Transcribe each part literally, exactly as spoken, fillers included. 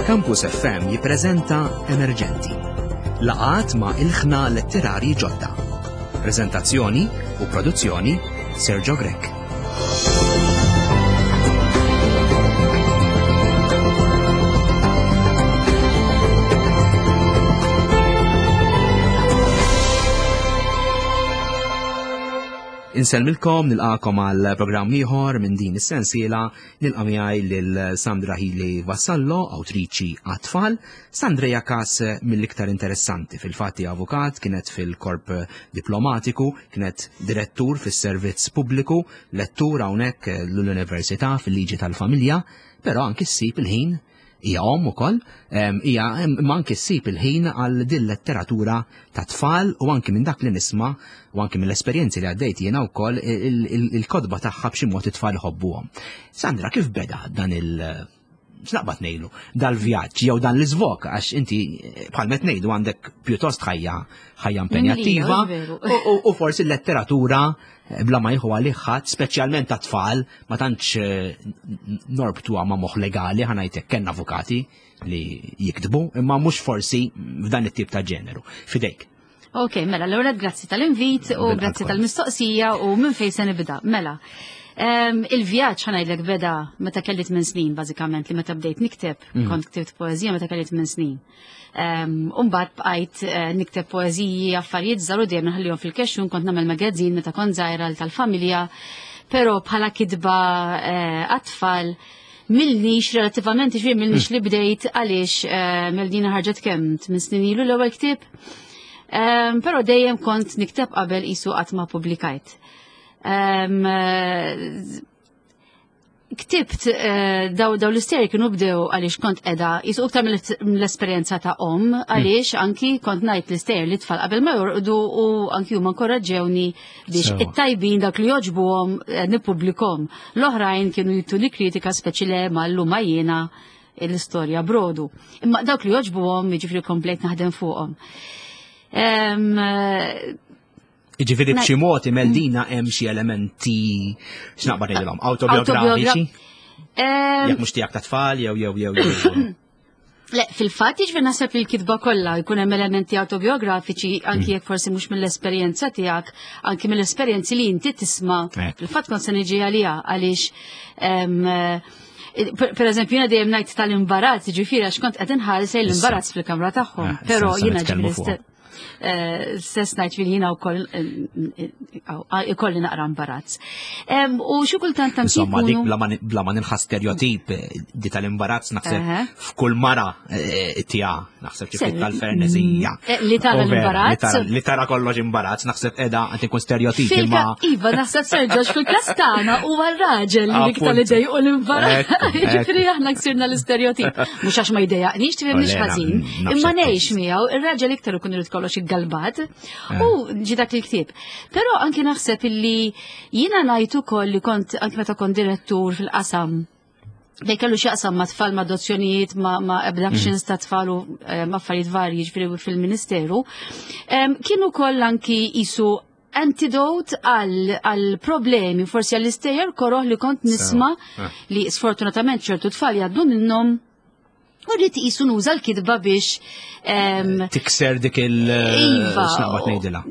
Campus F M jippreżenta Emerġenti. Laqgħat ma' ilħna letterari ġodda. Prezentazzjoni u produzzjoni Sergio Grech. Insellmilkom, nilqagħkom għal programm ieħor minn din is-sensiela. Nilqa' miegħi lil Sandra Hili Vassallo, awtriċi għat-tfal. Sandra hija każ mill-iktar interessanti. Fil-fatti avukat, kienet fil-korp diplomatiku, kienet direttur fis-servizz pubbliku, lettur hawnhekk l-Università fil-liġi tal-familja, però anki ssib il-ħin, hija omm ukoll, hija imma anki ssib il-ħin għal din letteratura ta' tfal u anki minn dak li nisma' u anki mill-esperjenzi li għaddejt jiena wkoll, il-kotba tagħha b'xi mod it-tfal iħobbuhom. Sandra, kif beda dan il- x'naqbad ngħidu, dal-vjaġġ jew dan l-iżvok, għax inti bħal met ngħidu għandek pjuttost ħajja ħajja impenjattiva u forsi l-letteratura bla ma jieħu għalih ħadd, speċjalment ta' tfal, ma tantx eh, norbtuha ma' moħħ legali, ħa ngħidlek kellna avukati li jiktbu, imma mhux forsi f'dan it-tip ta' ġeneru. Fidejk. Ok, mela, l-ewwel grazzi tal-invit u grazzi tal-mistoqsija u minn fejn se nibda. Mela, il-vjaġġ, ħa ngħidlek, beda meta kelli tmien snin, bażikament, li meta bdejt nikteb, mm. kont ktibt poeżija meta kelli tmien snin. Umbagħad bqajt eh, nikteb poeżiji, affarijiet żgħar u dejjem nħallihom fil-kexxun, kont nagħmel magazine meta kont żgħira tal-familja, però bħala kitba eh, għat-tfal m'ilnix relattivament, ġifieri m'ilnix li bdejt, għaliex eh, Meldina ħarġet kemm, tmien snin ilu l-ewwel ktieb. Però dejjem kont nikteb qabel, isu qatt ma publikajt. Eh, ktibt eh, daw daw l-istejjer kienu bdew għaliex kont qiegħda jisu iktar mill-esperjenza ta' om, għaliex anki kont ngħid l-istejjer li tfal qabel ma jorqdu u anki huma nkoraġġewni biex it-tajbin, dak li joġbuhom, eh, nippubblikhom. L-oħrajn kienu jtuni kritika, speċi le ma llum jiena l-istorja brodu. Imma dawk li joġbuhom, jiġifieri komplejt naħdem fuqhom. Ġifieri b'xi mod Meldina hemm xi elementi, x'naqbad ngħidilhom, autobiografiċi? Jekk mhux tiegħek ta' tfal jew jew jew jew. Le, fil-fatt, jiġifieri naħseb li l-kitba kollha jkun hemm elementi autobiografiċi, anki jekk forsi mhux mill-esperjenza tiegħek, anki mill-esperjenzi li inti tisma'. Fil-fatt kont se niġi għaliha għaliex, per eżempju, jiena dejjem ngħid tal-imbarazz, ġifieri għax kont qed inħares l-imbarazz fil-kamra tagħhom, eh, però jiena ġifieri Eh, stess ngħid fil jiena wkoll eh, eh, ikolli naqra imbarazz. U xi kultant anki. Insomma, dik bla ma nilħa stereotip di tal-imbarazz, naħseb f'kull mara tija, naħseb xi tal-fernezija. Mm, li tara l-imbarazz. Li tara kollox imbarazz, naħseb qiegħda qed ikun stereotip imma. Iva, naħseb Sergio fil-każ tagħna huwa r-raġel li iktar li dejqu l-imbarazz. Ġifieri aħna ksirna l-istereotip. Mhux għax ma jdejjaqniex, tifhimniex ħażin, imma ngħix miegħu, ir-raġel iktar ikun irid kollox iggalbat u ġi dak il-ktieb. Però anki naħseb illi jiena ngħid ukoll li kont anki meta kont direttur fil-qasam dej kellu x'jaqsam ma' tfal, ma' adozzjonijiet, ma', ma abductions ta' tfal u eh, ma' affarijiet varji, ġifieri fil-Ministeru, kienu koll anki jisu antidote għal problemi, forsi għall istejjer koroh li kont nisma' eh. li sfortunatament ċertu tfal jgħaddu minnhom, u rrid jisu nuża l-kitba biex tikser dik il- Iva. X'naqbad ngħidilha.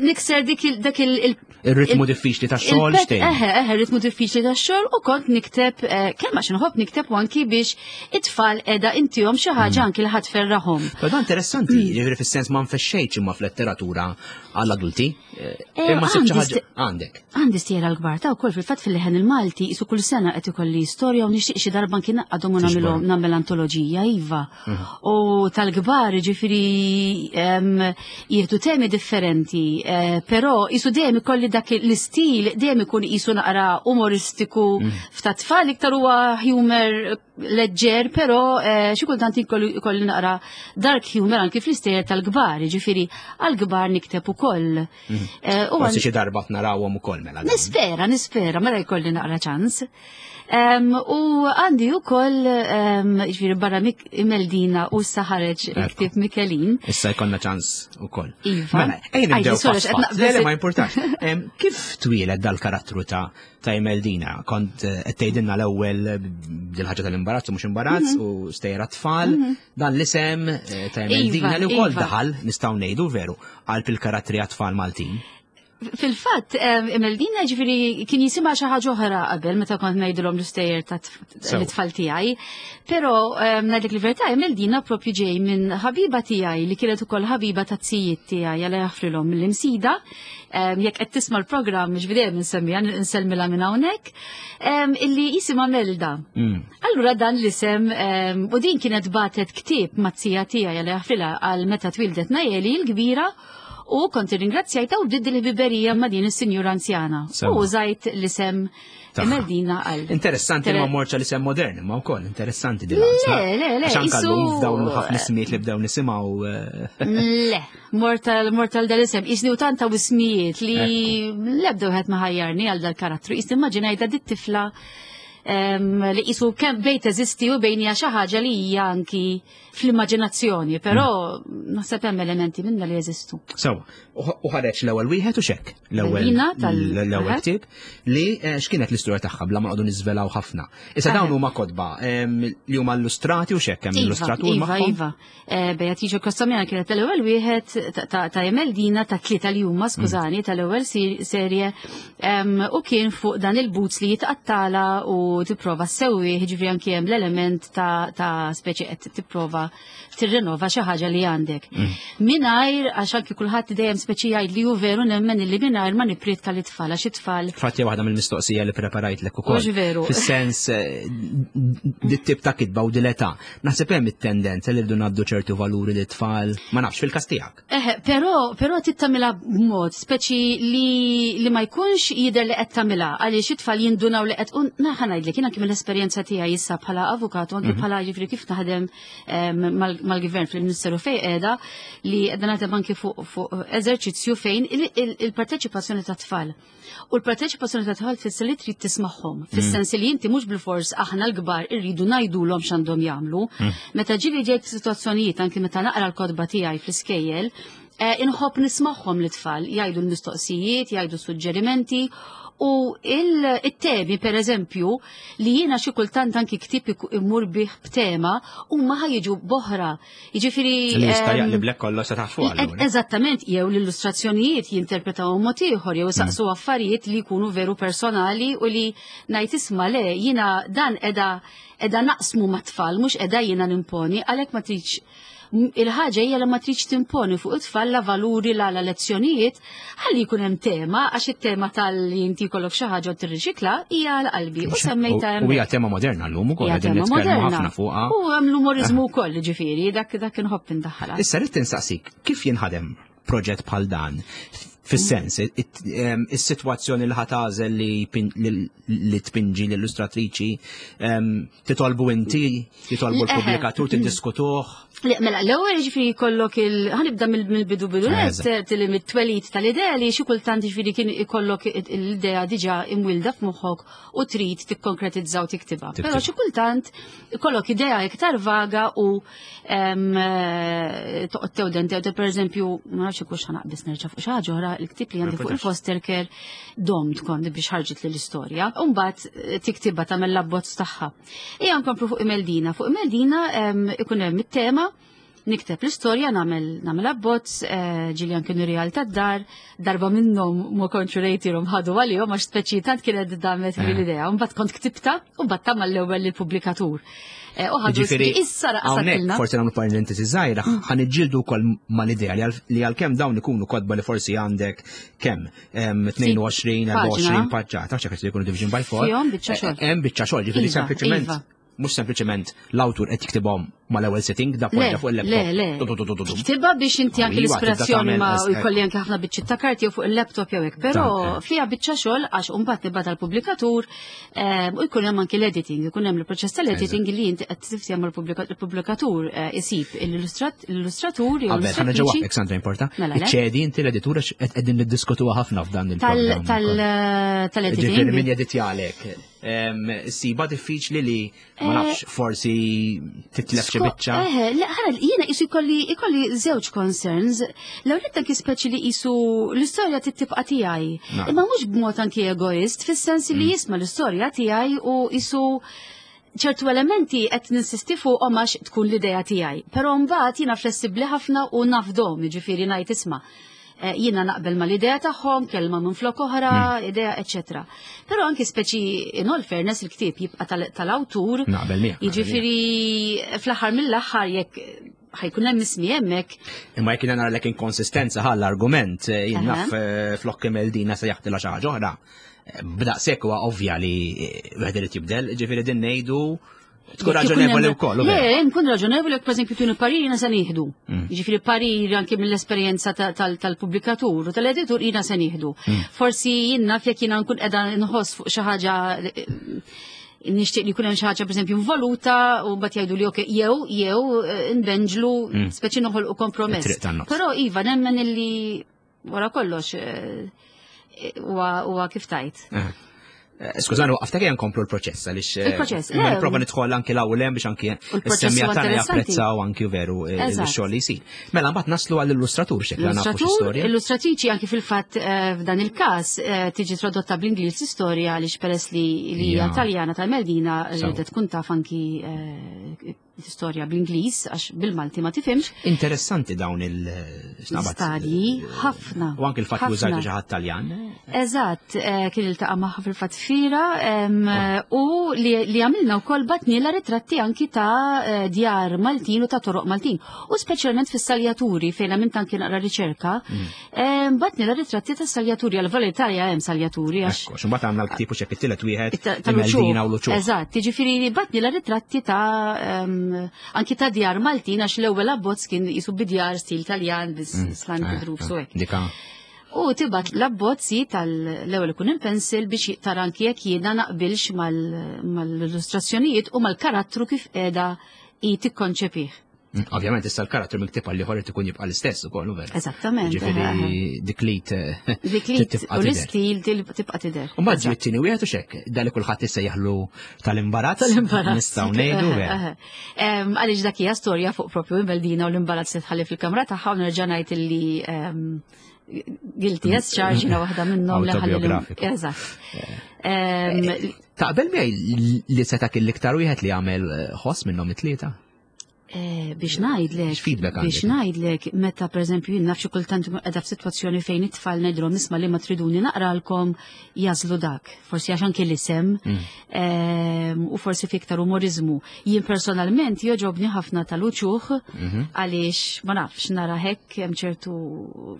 Nikser dik il- dak il- Ir-ritmu diffiċli tax-xogħol xtejn. Eħe, eħe, ritmu diffiċli tax-xogħol, u kont nikteb eh, kemm għax inħobb nikteb u anki biex it-tfal qiegħda intihom xi ħaġa anki li ħadd ferrahom. Però dan interessanti, ġifieri fis-sens ma nfexxejtx imma fl-letteratura għall-adulti. Eh, Imma sibt xi għandi ħaġa għandek. Għandi stejjer għall-kbar ta' wkoll. Fil-fatt fil-Leħen il-Malti isu kull sena qed ikolli storja u nixtieq xi darba kien għadhom u nagħmilhom, nagħmel antoloġija, iva. U tal-kbar ġifieri em, jieħdu temi differenti, eh, però isu dejjem ikolli dak l-istil, dejjem ikun isu naqra umoristiku, f'ta' tfal iktar huwa humor leġġer, però eh, xi kultant ikolli ikolli naqra dark humor anki fl-istejjer tal-kbar, ġifieri għall-kbar nikteb ukoll. Eh, u Forsi xi darba narawhom ukoll mela. Nispera, nispera, mela jkolli naqra ċans. Um, u għandi u koll, um, ġifieri barra mik Imeldina u issa ħareġ il-ktieb Mikelin. Issa jkollna ċans ukoll. Iva. Mela, ejja nibdew pass pass. Le, le, ma importax. Kif twieled dal-karattru ta' ta' Imeldina? Kont eh, qed tgħidilna l-ewwel dil-ħaġa tal-imbarazz u mhux imbarazz mhm. u stejra tfal, mhm. dan l-isem eh, ta' Imeldina li wkoll iva. daħal nistgħu ngħidu veru qalb il-karattri għat-tfal Maltin. Fil-fatt, Imeldina ġifieri kien jisimha xi ħaġa oħra qabel meta kont ngħidilhom l-istejjer ta' l-tfal tiegħi. Però ngħidlek il-verità, Imeldina propju ġej minn ħabiba tiegħi li kienet ukoll ħabiba ta' tzijiet tiegħi għal jaħfrilhom mill-Imsida. Jekk qed tisma' l-programm ġifieri dejjem insemmiha nsellmilha minn hawnhekk, illi jisimha Melda. Mm. Allura dan l-isem u din kienet batet ktieb mat-tija tiegħi għal jaħfrilha għal meta twildet Najeli l-kbira. U kont irringrazzjajta u bdiet il-ħbiberija ma' din is-sinjura anzjana. U użajt l-isem Imeldina għal. Interessanti ma morċa l-isem modern, ma wkoll interessanti din. Le, le, le. Għax anke llum f'dawn ħafna ismijiet li bdew nisimgħu. Eh. Le, mortal mortal dal-isem. Isni u tanta ismijiet li l-ebda wieħed ma ħajjarni għal dal-karattru. Isni immaġinajta dit-tifla li qisu kemm bejn teżisti u bejn hija xi ħaġa li hija anki fl-immaġinazzjoni, però mm. naħseb hemm elementi minna li jeżistu. Sewa, u ħareġ l-ewwel wieħed u xekk l-ewwel l-ewwel ktieb li eh, x'kienet l-istorja tagħha bla ma nqogħdu niżvelaw ħafna. Issa dawn huma kotba li huma illustrati u xekk hemm iva, illustratur iva, magħhom. Iva, eh, Beatrice Costamina kienet l-ewwel wieħed ta' Emeldina ta' tlieta li huma, mm. skużani, tal-ewwel serje u kien fuq dan il-boots li jitqattala u tipprova ssewwi, ġifieri anki hemm l-element ta', ta speċi qed tipprova tirrenova xi ħaġa li għandek. Mm. Mingħajr għax anki kulħadd dejjem speċi jgħid li hu veru nemmen illi mingħajr ma nippriedka lit-tfal għax it-tfal. Fatti waħda mill-mistoqsija li preparajtlek ukoll. Mhux veru. Fis-sens eh, dit-tip ta' kitba u dil-età. Naħseb hemm it-tendenza li rridu ngħaddu ċertu valuri lit-tfal, ma nafx fil-każ tiegħek. Eh, però però trid tagħmilha b'mod speċi li li ma jkunx jidher li qed tagħmilha għaliex it-tfal jindunaw li qed naħa ngħidlek jien anki mill-esperjenza tiegħi issa bħala avukat u anki mhm. bħala ġifieri kif naħdem mal-gvern fil-Ministeru fejn qiegħda li qiegħda naħdem anki fuq eżerċizzju fejn il-parteċipazzjoni ta' tfal. U l-parteċipazzjoni ta' tfal tfisser li trid tismagħhom, mm. fis-sens li inti mhux bilfors aħna l-kbar irridu ngħidulhom x'għandhom jagħmlu. Mm. Meta ġieli ġejt f'sitwazzjonijiet anki meta naqra l-kotba tiegħi fl-iskejjel, eh, inħobb nismagħhom l-tfal, jgħidu l-mistoqsijiet, jgħidu suġġerimenti u il-temi per eżempju li jiena xi kultant anki ktieb imur bih b'tema huma ħajġu boħra. Jiġifieri Li jista' ehm, jaqliblek kollox sa taħt fuq allura. Eżattament, jew l-illustrazzjonijiet jinterpretaw mod ieħor jew saqsu mm. affarijiet li jkunu veru personali u li ngħid isma' le jiena dan qiegħda qiegħda naqsmu mat-tfal mhux qiegħda jiena nimponi għalhekk ma tridx Il-ħaġa hija li ma tridx timponi fuq it-tfal la valuri la la lezzjonijiet, ħalli jkun hemm tema għax it-tema tal-li inti jkollok xi ħaġa u tirriċikla hija għal qalbi u semmejtha hemm. U hija tema moderna llum ukoll qegħdin nitkellmu ħafna fuqha. U hemm l-umoriżmu wkoll ġifieri dak dak inħobb indaħħalha. Issa rrid tinsaqsik kif jinħadem proġett bħal dan? Fis-sens, is-sitwazzjoni li ħatażel li tpinġi l-illustratriċi, titolbu inti, titolbu l-pubblikatur, tiddiskutuh. Mela, l-ewwel jiġifieri jkollok il ħanibda mill-bidu bidu net li mit-twelid tal-idea li xi kultant jiġifieri kien ikollok l-idea diġà imwilda f'moħħok u trid tikkonkretizza u tiktibha. Però xi kultant ikollok idea iktar vaga u eh, toqgħod tewden tewden pereżempju ma nafx ikux ħanaqbis nerġa' fuq xi ħaġa oħra il-ktieb li għandi fuq il-foster care domt kont biex ħarġit li l-istorja. U mbagħad eh, tiktibha tagħmel l-abbozz tagħha. Ejja nkomplu fuq Imeldina. Fuq Imeldina ikun hemm it-tema, nikteb l-istorja, nagħmel nagħmel abbozz, eh, ġieli anke nurija tad-dar, darba minnhom ma kontx rejtilhom ħadu għalihom għax speċi tant kienet damet eh. l-idea. Mbagħad kont ktibta u mbagħad tagħmel l-ewwel lill-pubblikatur. Eh, u ħadu issa raqsatilna. Forsi nagħmlu parentesi żgħira, mm. ħa niġġieldu wkoll mal-idea li għalkemm dawn ikunu kotba li forsi għandek kemm tnejn u għoxrin, erbgħa u għoxrin paġġa, tafx jekk jkunu division by four. Fihom biċċa xogħol. Hemm biċċa xogħol, ġifieri iva, sempliċement iva. mhux sempliċement l-awtur qed jiktibhom mal-ewwel sitting, da poġġa fuq il-laptop. Le, le. Tiktibha biex inti anke l-ispirazzjoni ma jkolli anke ħafna biċċiet ta' karti jew fuq il-laptop jew hekk, però eh. fiha biċċa xogħol għax imbagħad nibgħat għall-pubblikatur eh, u jkun hemm anke l-editing, ikun hemm il-proċess tal-editing li inti qed tiftehom mal-pubblikatur eh, isib l-illustratur jew Qabel ħa nerġa' waqqfek Sandra importa. Mela, Iċċedi inti l-editur għax qegħdin niddiskutuha ħafna f'dan il-programm. Tal-editing. Ġifieri min jeditjalek. Siba diffiċli li ma eh, nafx forsi titlef xi xi biċċa. Eħe, le, ħara, jiena qisu jkolli ikolli żewġ concerns. L-ewwel anki speċi li qisu l-istorja tibqa' tiegħi. Nعم. Imma mhux b'mod anki egoist, fis-sens li jisma' l-istorja tiegħi u qisu ċertu elementi qed ninsisti fuqhom għax tkun l-idea tiegħi. Però mbagħad jiena flessibbli ħafna u nafdom, jiġifieri ngħid isma'. eh, Jiena naqbel ma l-idea tagħhom, kelma minn flok oħra, idea, eċetera. Però anki speċi in all fairness il-ktieb jibqa' tal- tal-awtur. Naqbel miegħek. naqbel miegħek. Jiġifieri fl-aħħar mill-aħħar jekk ħa jkun hemm ismi hemmhekk, Imma jekk jiena nara lek inkonsistenza ħall argument eh, jien Aha. naf eh, flok Meldina se jaħdilha xi ħaġa oħra. Eh, B'daqshekk huwa ovvja li eh, wieħed irid jibdel, ġifieri din ngħidu tkun Jekk ikun raġonevoli hemm- wkoll. u Le, vera. nkun raġonevoli jekk pereżempju tuni parir jiena se nieħdu. Mm. Jiġifieri parir anke mill-esperjenza ta- tal- tal-pubblikatur u tal-editur jiena se nieħdu. Mm. Forsi jien naf jekk jiena nkun qiegħda nħoss fuq xi ħaġa eh, nixtieq li jkun hemm xi ħaġa pereżempju involuta u mbagħad jgħidu li okej jew jew eh, nbenġlu Mm. speċi noħolqu kompromess. It-triq tan-nofs. Però iva nemmen illi wara kollox eh, huwa huwa kif tajt. Eh. Eh, Skużani, waqaftek ejja nkomplu l-proċess għaliex eh, Il-proċess, imma le. nipprova nidħol anki l-ewwel hemm biex anki U l-proċess is-semmiegħa huwa tagħna interessanti. japprezzaw anki veru eh, Eżatt. x-xogħol li jsir. Mela mbagħad naslu għall-illustratur xekla nafu Illustratur, x'istorja. illustratriċi anki fil-fatt eh, f'dan il-każ eh, tiġi tradotta bl-Ingliż l-istorja għaliex peress li li hija Ja. Taljana tal-Meldina Sew. ridet tkun taf anki eh, l-istorja bl-Ingliż għax bil-Malti ma tifhimx. Interessanti dawn il-snabat. Stadji ħafna. U anki l-fatt li użajtu ħafna. xi ħadd Taljan. Eżatt, eh, kien iltaqa' magħha fil-fatt fira em, u li, li għamilna wkoll bgħatnielha ritratti anki ta' eh, djar Maltin u ta' toroq Maltin. U speċjalment fis-saljaturi fejn għamilt anki naqra riċerka, em, bgħatnielha ritratti ta' saljaturi għal Italja hemm saljaturi għax Ekku, x'imbagħad għandna l-ktieb u xek it-tielet wieħed Ta- tal-uċuħ. Meldina u l-uċuħ. Eżatt, jiġifieri bgħatnielha ritratti ta' em, anki ta' djar Maltin għax l-ewwel abbozz kien jisu bidjar stil Taljan bis slanted roofs u hekk. Dika. U tibgħat l-abbozzi tal-ewwel ikun in pencil biex tara anki jekk jiena naqbilx mal- mal-illustrazzjonijiet u mal-karattru kif qiegħda i tikkonċepih. Mm, Ovvjament issa l-karattru mill-ktieb għal ieħor irid ikun jibqa' l-istess ukoll, u vera. Eżattament. Ġifieri dik li t- Dik li tibqa' u tidher. l-istil til- tibqa' tidher. U mbagħad ġie t-tieni wieħed u xek, da li kulħadd issejjaħlu tal-imbarazz. Tal-imbarazz. Nistgħu ngħidu vera. Eħe. Em, Għaliex dak hija storja fuq propju Meldina u l-imbarazz li tħalli fil-kamra tagħha u nerġa' ngħid illi em, guilty as charged jiena waħda minnhom li ħalli l- Autobiografiku. Eżatt. Em, Taqbel miegħi li seta' kien l-iktar wieħed li għamel eh, ħoss minnhom it-tlieta? Eh, biex ngħidlek, X'feedback biex għandek? ngħidlek, meta pereżempju jien naf xi kultant nkun qiegħda f'sitwazzjoni fejn it-tfal ngħidilhom isma' li ma triduni naqralkom jażlu dak. Forsi għax anke l-isem Mm. em, u forsi fi iktar umorizmu. Jien personalment joġobni ħafna tal-uċuħ Mhm. għaliex ma nafx nara hekk hemm ċertu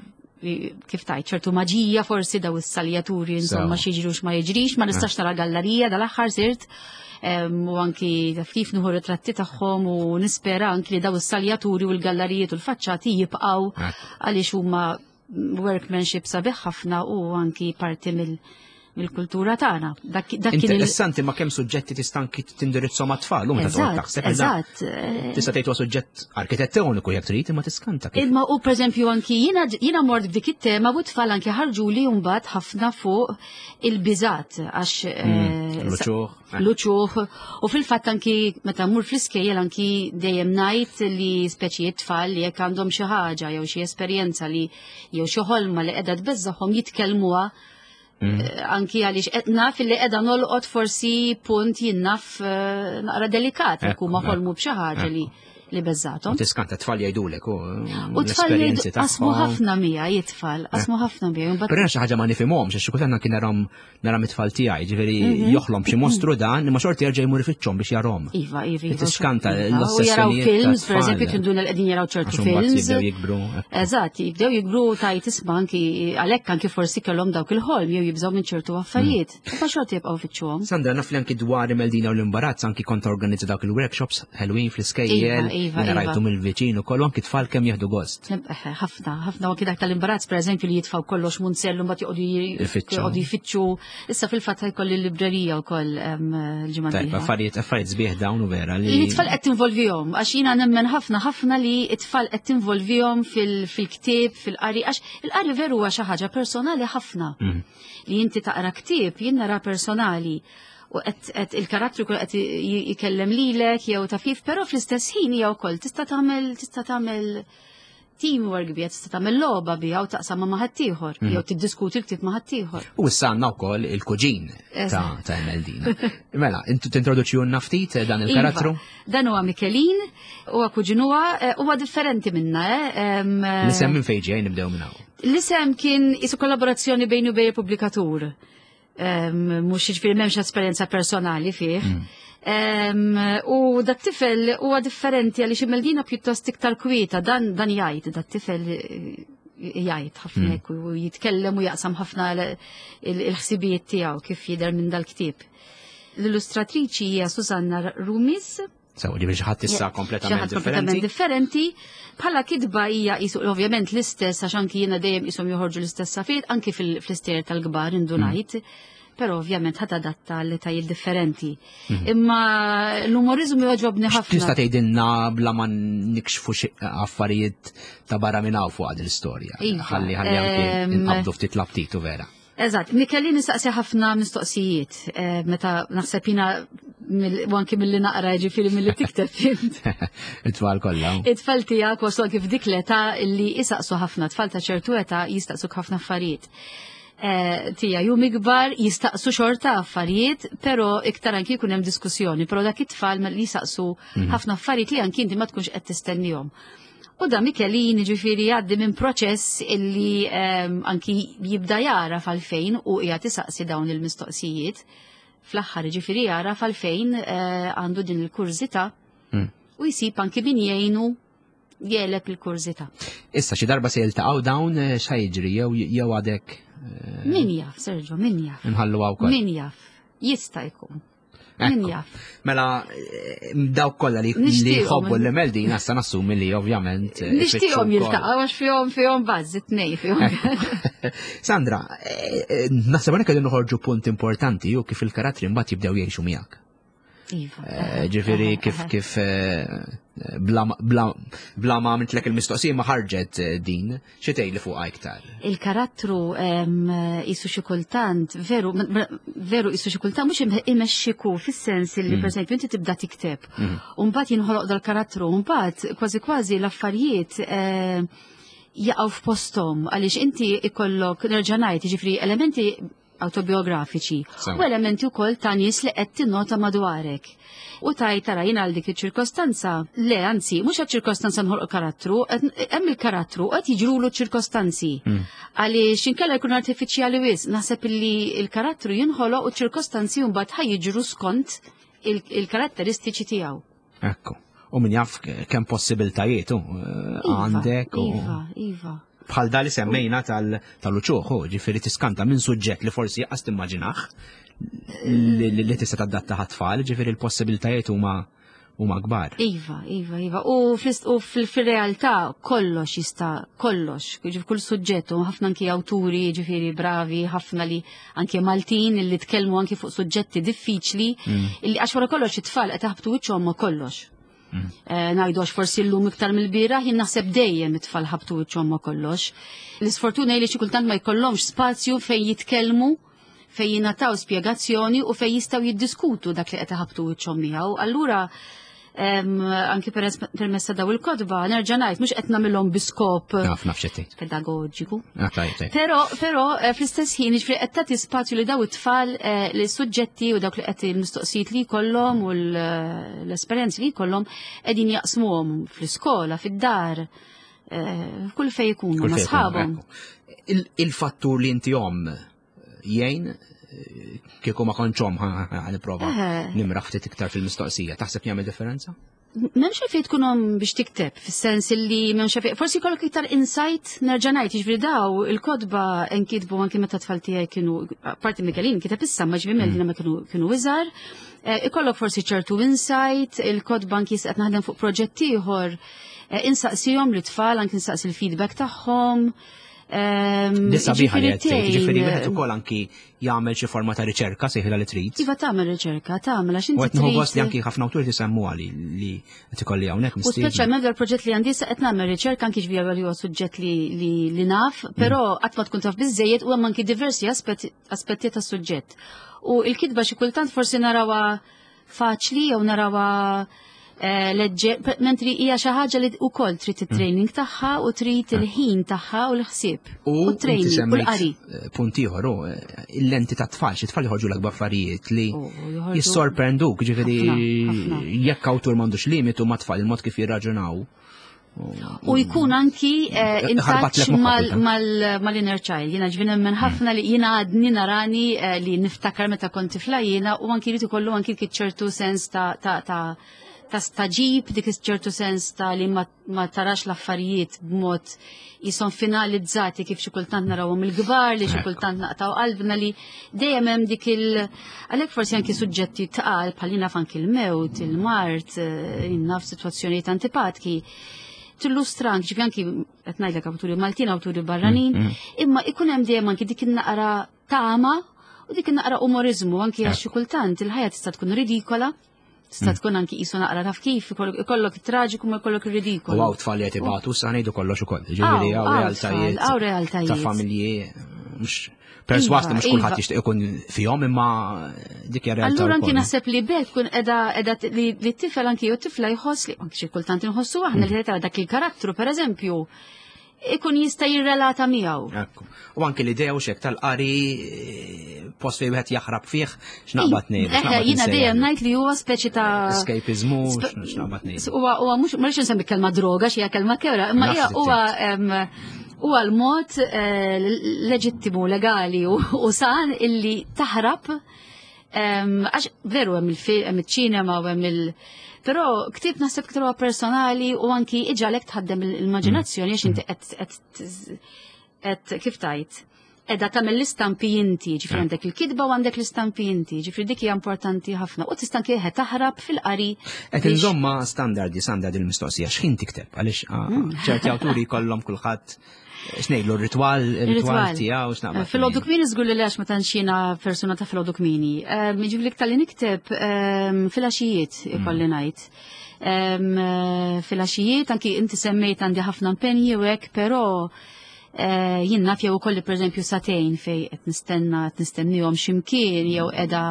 kif tajt, ċertu maġija forsi daw is-saljaturi insomma Sew. xi jiġri u x'ma jiġrix, ma nistax nara gallerija dal-aħħar sirt em, u anki taf kif nieħu ritratti tagħhom u nispera anki li daw is-saljaturi u l-gallerijiet u l-faċċati jibqgħu Ekku. għaliex huma workmanship sabiħ ħafna u anki parti mill- mill-kultura tagħna. Dak dak kien il- Interessanti ma kemm suġġetti tista' anki tindirizzhom mat-tfal, u meta toqgħod Eżatt, taħseb eżatt. eżatt. eh, Tista' tgħid huwa suġġett arkitettoniku jekk trid imma tiskanta kif. Imma u per eżempju anki jiena jiena mort b'dik it-tema u tfal anki ħarġu li mbagħad ħafna fuq il-biżat għax eh, L-uċuħ. l-uċuħ u fil-fatt anki meta mmur fl-iskejjel anki dejjem ngħid li speċi tfal li jekk għandhom xi ħaġa jew xi esperjenza li jew xi ħolma li qiegħda tbeżżagħhom jitkellmuha Mm. eh, anki għaliex qed naf li qiegħda nolqot forsi punt jien naf eh, naqra delikat jekk Ekku, huma ekku, ħolmu b'xi ħaġa li li beżżathom. U tiskanta tfal jgħidulek u U tfal l-esperjenzi jgħidu qasmu tagħhom. ħafna miegħi it-tfal, qasmu ħafna miegħi. Mbagħad Però xi ħaġa ma nifhimhomx, għax xi kultant kien narahom naram it-tfal tiegħi, ġifieri Mhm. joħlom xi mostru dan, imma xorti jerġa' jmur ifittxhom biex jarahom. Iva, iva, iva. Tiskanta iva. U jaraw l-ossessjonijiet films, per tat-tfal. eżempju, tinduna li qegħdin jaraw ċertu Għax imbagħad films. jibdew jikbru. Eżatt, jibdew jikbru tajt isma' anki għalhekk anki forsi kellhom dawk il-ħolm jew jibżgħu minn ċertu affarijiet. Mm. Ma xorta jibqgħu fittxuhom. Sandra, naf li anki dwar Meldina u l-imbarazz, anki kont organizza dawk il-workshops Halloween fl-iskejjel, Iva, iva, jiena iva. rajtu mill-viċin u kollu, anki tfal kemm jieħdu gost. Eħe, ħafna, ħafna u anki dak tal-imbarazz per eżempju li jitfaw kollox munzellu mbagħad joqogħdu j- Ifittxu. joqogħdu jfittxu. Issa fil-fatt jkolli l-librerija wkoll em, il-ġimgħa Tajb, d-dieħla. affarijiet affarijiet sbieħ dawn u vera li. Li t-tfal qed tinvolvihom, għax jiena nemmen ħafna ħafna li t-tfal qed tinvolvihom fil- fil-ktieb, fil-qari, għax il-qari veru huwa xi ħaġa personali ħafna. Mm. Li inti taqra ktieb jien nara personali. U qed il-karattru jkun qed jikellem lilek jew taf kif, però fl-istess ħin hija wkoll tista' tagħmel tista' tagħmel teamwork biha, tista' tagħmel logħba biha u taqsam ma' ħaddieħor jew tiddiskuti l-ktieb ma' ħaddieħor. U issa għandna wkoll il-kuġin ta' ta' Emeldina. Mela, intu tintroduċi ftit dan il-karattru? Iva, dan huwa Mikelin, huwa kuġinuha, huwa differenti minna, eh. L-isem minn fejn ġej, nibdew minn hawn. L-isem kien isu kollaborazzjoni bejn u bejn il-pubblikatur. Mhux jiġifieri m'hemmx esperjenza personali fih. U dat tifel huwa differenti għaliex Imeldina pjuttost iktar kwieta, dan dan jgħid, dat tifel jgħid ħafna hekk u jitkellem u jaqsam ħafna il-ħsibijiet tiegħu kif jidher minn dal-ktieb. L-illustratriċi hija Susanna Rumis. Sew, ġifieri xi ħadd issa kompletament differenti. Differenti. Bħala kitba hija qisu ovvjament l-istess għax anki jiena dejjem qishom joħorġu l-istess affarijiet anki fl-istejjer tal-kbar indunajt. Però ovvjament ħadd adatta l-etajiet differenti. Imma l-umorizmu jogħġobni ħafna. Tista' tgħidilna bla ma nikxfu xi affarijiet ta' barra minn hawn fuq l-istorja. Ħalli ħalli anki nqabdu ftit l-aptitu vera. Eżatt, Mikelin nistaqsi ħafna mistoqsijiet, meta naħseb jiena u anki milli naqra ġifieri milli tikteb int. It-tfal kollha. It-tfal tiegħek waslu anki f'dik l-età li jisaqsu ħafna, tfal ta' ċertu età jistaqsuk ħafna affarijiet. Tija jum ikbar jistaqsu xorta affarijiet, però iktar anki jkun hemm diskussjoni, però dak it-tfal li jistaqsu ħafna affarijiet li anki inti ma tkunx qed tistennihom. U da Mikelin ġifieri jgħaddi minn proċess illi anki jibda jara għalfejn u qiegħed isaqsi dawn il-mistoqsijiet. Fl-aħħar ġifieri jara għalfejn għandu din il-kurżità u jsib anki min jgħinu jeleb il-kurżità. Issa xi darba se jiltaqgħu dawn x'ha jiġri jew jew għadek? Min jaf, Sergio, min jaf. Nħallu wkoll. Min jaf, jista' jkun. Min jaf. Mela, dawk kollha li jħobbu l-Emeldina issa nassumi li ovvjament. Nixtieqhom jiltaqgħu għax fihom fihom bażż it-tnejn fihom. Sandra, naħseb hawnhekk qegħdin noħorġu punt importanti u kif il-karattri mbagħad jibdew jgħixu miegħek. Iva. Ġifieri kif kif bla bla ma għamiltlek il-mistoqsija ma ħarġet din, xi tgħidli fuqha iktar? Il-karattru qisu xi kultant, veru veru qisu xi kultant mhux imexxiku fis-sens li pereżempju inti tibda tikteb u mbagħad jinħoloq dal-karattru u mbagħad kważi kważi l-affarijiet jaqgħu f'posthom għaliex inti ikollok nerġa' ngħid jiġifieri elementi autobiografiċi u elementi wkoll ta' nies li qed tinnota madwarek. U tajt tara jien għal dik iċ-ċirkostanza, le anzi, mhux għaċ-ċirkostanza nħolq karattru, hemm il-karattru qed jiġrulu ċ-ċirkostanzi. Għaliex inkella jkun artifiċjali wisq, naħseb illi il-karattru jinħoloq u ċ-ċirkostanzi mbagħad ħa jiġru skont il-karatteristiċi tiegħu. Ekku. U min jaf kemm possibiltajiet għandek. Iva, iva. Bħal da li semmejna tal-uċuħ, ġifieri tiskanta minn suġġett li forsi qas timmaġinaħ li tista' tadatta ħat-tfal, ġifieri l-possibiltajiet huma huma kbar. Iva, iva, iva. U fil-realtà kollox jista' kollox, ġifieri kull suġġett, u ħafna anki awturi, ġifieri bravi, ħafna li anki Maltin li tkellmu anki fuq suġġetti diffiċli, illi għax wara kollox it-tfal qed jaħbtu wiċċhom ma' kollox. Ngħidu għax forsi llum iktar mill-bieraħ, jien naħseb dejjem it-tfal ħabtu wiċċhom ma' kollox. L-isfortuna hi li xi kultant ma jkollhomx spazju fejn jitkellmu, fejn jingħataw spjegazzjoni u fejn jistgħu jiddiskutu dak li qed iħabtu wiċċhom miegħu. Allura anki permezz ta' daw il-kotba, nerġa' ngħid mhux qed nagħmilhom bi skop pedagogiku. Però però fl-istess ħin jiġifieri qed tagħti spazju li daw it-tfal li suġġetti u dawk li qed il-mistoqsijiet li jkollhom u l-esperjenzi li jkollhom qegħdin jaqsmuhom fl-iskola, fid-dar, kull fejn ikunu ma' sħabhom. Il-fattur li inti omm jgħin kieku ma kontx omm nipprova nimraħ ftit iktar fil-mistoqsija, taħseb jagħmel differenza? M'hemmx għalfejn tkun omm biex tikteb, fis-sens li m'hemmx għalfejn, forsi jkollok iktar insight, nerġa' ngħid, jiġifieri daw il-kotba nkitbu anki meta tfal tiegħi kienu, parti Mikelin kiteb issa, ma ġifieri Meldina ma kienu kienu iżgħar, ikollok forsi ċertu insight, il-kotba anki qed naħdem fuq proġett ieħor, insaqsihom l-tfal, anki insaqsi l-feedback tagħhom. Ehm, Di sabiħa li ġifieri qed tgħid, ġifieri wieħed tgħin- ukoll anki jagħmel xi forma ta' riċerka sejħilha li trid. Iva tagħmel riċerka, tagħmel għax U inti qed nieħu gost li trid. anki ħafna awturi tisemmu li li qed ikolli hawnhekk U mistieden. speċjalment dal-proġett li għandi sa qed nagħmel riċerka anki ġvija li huwa suġġett li, li, li naf, però qatt ma tkun taf biżejjed u hemm anki diversi aspetti, aspetti tas-suġġett. U il-kitba xi kultant forsi narawha faċli jew narawha eh, leġġer, mentri hija xi ħaġa li wkoll trid it-training tagħha u trid il-ħin tagħha u l-ħsieb. U U inti training u semmejt, l-qari. eh, punt ieħor, hu, eh, il-lenti ta' tfal, xi tfal joħorġu l affarijiet li U joħorġu- jissorprenduk, ġifieri Ħafna, ħafna. jekk awtur m'għandux limitu ma' tfal il-mod kif jirraġunaw. U jkun anki eh, in Ħarbatlek touch moħħok mal- kultant. mal- mal-inner child. Jiena ġifieri nemmen ħafna li jiena għadni narani eh, li niftakar meta kont tifla jiena u anki jrid ikollu anki ċertu sens ta' ta' ta' ta' staġib, dik ċertu sens ta' li ma, ma tarax l-affarijiet b'mod jisom finalizzati kif xi kultant narawhom il-kbar, li xi Ekku. kultant naqtaw qalbna li dejjem hemm dik il għalhekk forsi anki suġġetti tqal bħal naf anki il-mewt, il-mard, eh, naf sitwazzjonijiet antipatki tillustra anki ġifi anki qed ngħidlek awturi Maltin, awturi barranin, Mm, imma ikun hemm dejjem anki dik in-naqra tama u dik in-naqra umorizmu anki għax xi kultant il-ħajja tista' tkun ridikola, tista' tkun anki qisu naqra taf kif ikollok ikollok it-traġiku ma jkollok ir-ridikolu. U hawn tfal li qed ibatu, sa ngħidu kollox ukoll. Ġifieri Hawn, hawn hawn realtajiet. tfal, hawn realtajiet. Ta' familji mhux perswas li Iva, mhux kulħadd iva. jixtieq ikun fihom imma dik hija realtà. Allura anki wkoll. naħseb li bekk kun edha edha li li t-tifel anki jew tifla jħoss li anki xi kultant inħossu aħna li tara dak il-karattru pereżempju ikun jista' jirrelata miegħu. Ekku. U anki l-idea u xek tal-qari eh, post fejn wieħed jaħrab fih x'naqbad ngħid. Eħe, jiena dejjem ngħid li huwa speċi ta' Escapismu, Spe- x'naqbad ngħid. Huwa huwa mhux ma rridx insemmi kelma droga xi hija kelma kewra, imma hija Naf huwa em, huwa l-mod eh, leġittimu, legali u u san illi taħrab em, għax veru hemm il-film, hemm iċ-ċinema u hemm il- Però ktieb naħseb iktar huwa personali u anki iġagħlek tħaddem l-immaġinazzjoni għax inti qed qed qed kif tajt edha tagħmel l-istampi inti, ġifieri għandek il-kitba u għandek l-istampi inti, ġifieri dik hija importanti ħafna. U tista' anke taħrab fil-qari. Qed biex- inżomma standardi, standard il-mistoqsija, x'ħin tikteb? Għaliex ah, Mm. ċerti awturi jkollhom kulħadd x'ngħidlu r-ritwal, ir-ritwal tiegħu x'naqbad. Filgħodu kmieni żgur li għax ma tantx jiena persuna ta' filgħodu kmieni. Ġifieri tal-li nikteb em, filgħaxijiet ikolli ngħid. Em, eh, Filgħaxijiet, anki inti semmejt għandi ħafna impenji u hekk, però eh, jien naf jew ukolli pereżempju sagħtejn fej qed nistenna qed nistennihom x'imkien jew qiegħda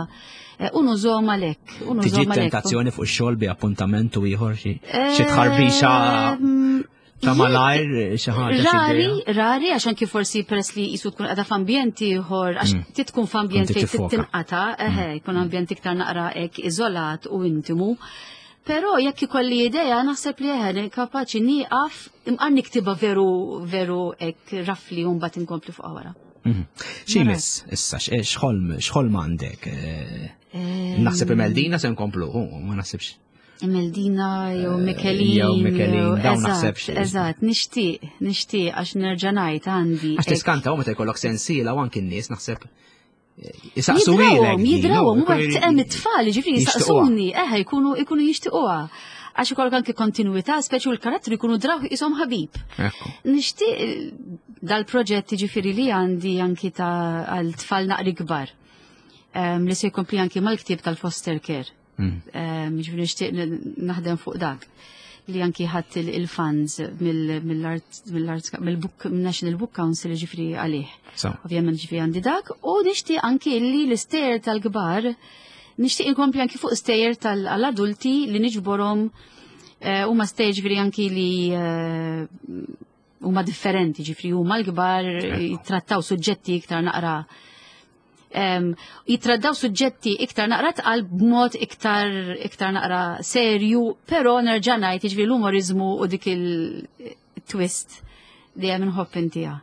eh, u nużhom għalhekk. u Tiġi nużhom għalhekk. tentazzjoni fuq ix-xogħol bi appuntament u ieħor xi xi tħarbixa Em, ta' malajr xi ħaġa xi Rari, idea. rari, għax anki forsi peress li jisu tkun għada f'ambjent ieħor, għax ti tkun f'ambjent Inti fejn tiffoka. tinqata, eħe, jkun ambjent iktar naqra hekk iżolat u intimu. Però jekk ikolli idea, naħseb li eħe, kapaċi nieqaf imqar niktiba veru veru hekk rafli u mbagħad inkompli fuq wara. Mhm. X'imis issa x- x'ħolm x'ħolm għandek? Eh, Naħseb Imeldina se nkomplu, hu, ma naħsibx. Imeldina jew Mikelin. jew Mikelin, dawn eżatt, naħseb Eżatt, nixtieq, nixtieq għax nerġa' ngħid għandi. Għax hekk- tiskanta u meta jkollok sensiela u anki n-nies naħseb eh, jisaqsu Jidrawhom, ilek din, jidrawhom, u u għet hemm it-tfal, ġifieri jixtiquha. jisaqsuni, eħe, jkunu jkunu jixtiquha. Għax ikollok anki kontinuità, speċi u l-karattru jkunu draw isom ħabib. Ekku. Nixtieq dal-proġett ġifieri li għandi anki ta' għal tfal naqri kbar. Em, li se jkompli anki mal-ktieb tal-foster care. Mm. Em, Ġifieri nixtieq naħdem fuq dak li anki ħadd il- il-funds mill-Art mill-Arts mill-Book National Book Council ġifieri għalih. So. Ovvjament ġifieri għandi dak u nixtieq anki li l-istejjer tal-kbar nixtieq inkompli anki fuq stejjer tal-adulti li niġborhom eh, huma stejjer ġifieri anki li eh, huma differenti ġifieri huma l-kbar jittrattaw suġġetti iktar naqra em, jittrattaw suġġetti iktar naqra tqal b'mod iktar iktar naqra serju, però nerġa' ngħid jiġifieri l-umorizmu u dik il-twist dejjem inħobb intiha.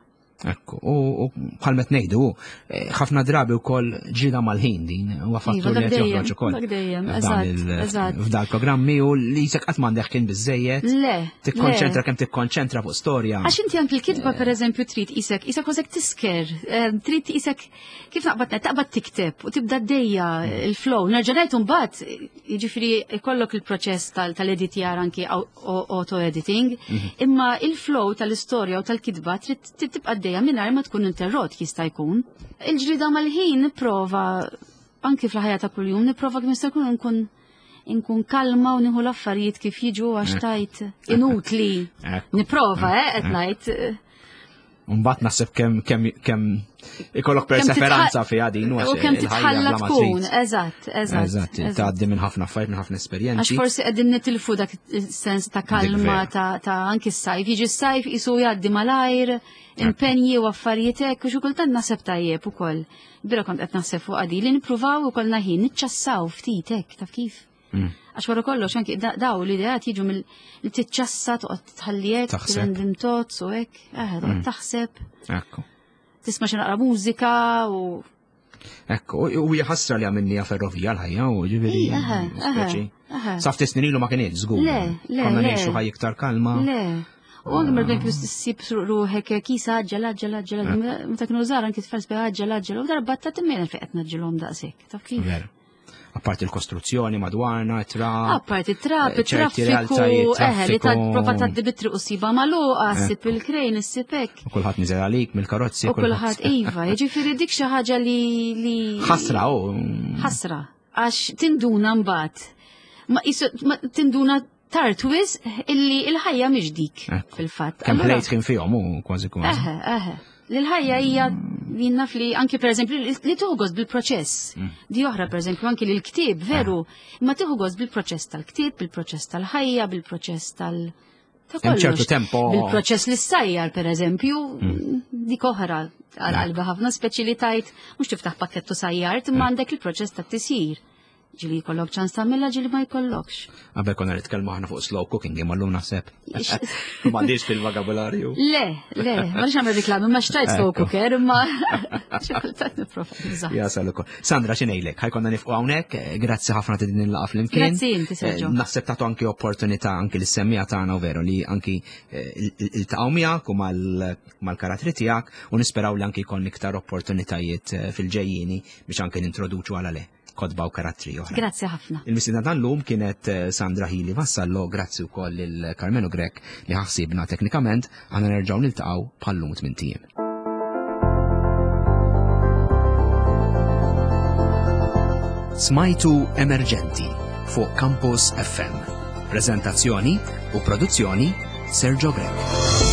Ekku, u u bħal met ngħidu, eh, ħafna drabi wkoll ġida mal-ħin din, huwa fattur Iva, li dak qed dejjem, joħroġ ukoll. dak dejjem, f'dan eżatt, il- eżatt. F'dal programmi u li jisek qatt m'għandek kien biżejjed. Le, Tikkonċentra le. kemm tikkonċentra fuq storja. Għax inti anki l-kitba per eżempju trid isek, isek kważek tisker, eh, trid isek kif naqbad taqbad tikteb u tibda d-dejja il-flow. Nerġa' ngħid mbagħad jiġifieri ikollok il-proċess tal- tal-editjar anki auto-editing, imma il-flow tal-istorja u tal-kitba trid trid tibqa' għaddejja mingħajr ma tkun interrott jista' jkun. Il-ġlida mal-ħin nipprova anki fil-ħajja ta' kuljum nipprova kemm jista' jkun nkun inkun kalma u nieħu l-affarijiet kif jiġu għax tajt inutli. Nipprova, eh, qed ngħid. Mbagħad naħseb kemm kemm kemm ikollok perseveranza fiha din u kemm titħalla tkun, eżatt, eżatt. Eżatt, tgħaddi minn ħafna affarijiet, minn ħafna esperjenzi. Għax forsi qegħdin nitilfu dak is-sens ta' kalma ta' anki s-sajf, jiġi s-sajf isu jgħaddi malajr, impenji u affarijiet hekk u xi kultant naħseb tajjeb ukoll. Bira kont qed naħseb fuq għadi li nippruvaw ukoll ħin niċċassaw ftit hekk, taf kif? Għax wara kollox anki daw l-ideat jiġu mill li tiċċassa toqgħod tħalli hekk, random thoughts u hekk, eh, toqgħod taħseb. Ekku. Tisma' xi naqra mużika u Ekku, u hija ħasra li għamilniha ferrovija l-ħajja u ġifieri. Speċi. Sa ftit snin ilu ma kienx żgur. Le, le. Konna ngħixu ħajja iktar kalma. Le. U anke meta kien issib ruħek kisa għaġġel, għaġġel, għaġġel, meta kienu żgħar anki tfal sbi għaġġel, għaġġel, u darba ta' timmejna fejn qed naġġilhom daqshekk, taf kif? Vera. Apparti l-kostruzzjoni madwarna, trap. Apparti trap, traffiku, eħe, li ta' prova ta' bitri u siba magħluqa, ssib il-krejn, issib hekk. U kulħadd niżel għalik mill-karozzi. U kulħadd iva, jiġifieri dik xi ħaġa li. Ħasra, u. Ħasra, għax tinduna mbagħad. Ma tinduna tard wisq illi il-ħajja mhix dik fil-fatt. Kemm ħlejt kien fihom u kważi kważi. Eħe, eħe. L-ħajja hija jien naf li anki per eżempju li tieħu gost bil-proċess. Di oħra per eżempju anki li l-ktieb veru, imma tieħu gost bil-proċess tal-ktieb, bil-proċess tal-ħajja, bil-proċess tal- ta' Hemm ċertu kollox. tempo. Bil-proċess li ssajjar per eżempju, dik oħra għal qalbi ħafna speċi li tajt mhux tiftaħ pakkettu sajjart, imma għandek il-proċess tat-tisjir. Ġieli jkollok ċans tagħmilha, ġieli ma jkollokx. Qabel konna nitkellmu aħna fuq slow cooking, imma llum naħseb. M'għandix fil-vokabularju. Le, le, ma nix nagħmel reklami, ma xtajt slow cooker, imma xi kultant nipprova nużah. Jasal ukoll. Sandra, xi ngħidlek, ħa jkollna nieqfu hawnhekk, grazzi ħafna ta' din il-laqgħa flimkien. Grazzi inti, Sergio. Eh, Naħseb tagħtu anki opportunità anki lis-semmiegħa tagħna u veru li anki eh, iltaqgħu miegħek u mal-karattri tiegħek u nisperaw li anki jkollna iktar opportunitajiet eh, fil-ġejjieni biex anki nintroduċu għala le kotba u karattri oħra. Grazzi ħafna. Il-mistiedna tal-lum kienet eh, Sandra Hili Vassallo, grazzi wkoll lil Carmelo Grech li ħassibna teknikament, aħna nerġgħu niltaqgħu bħal-lum tmint ijiem. Smajtu Emerġenti fuq Campus F M. Prezentazzjoni u produzzjoni Sergio Grech.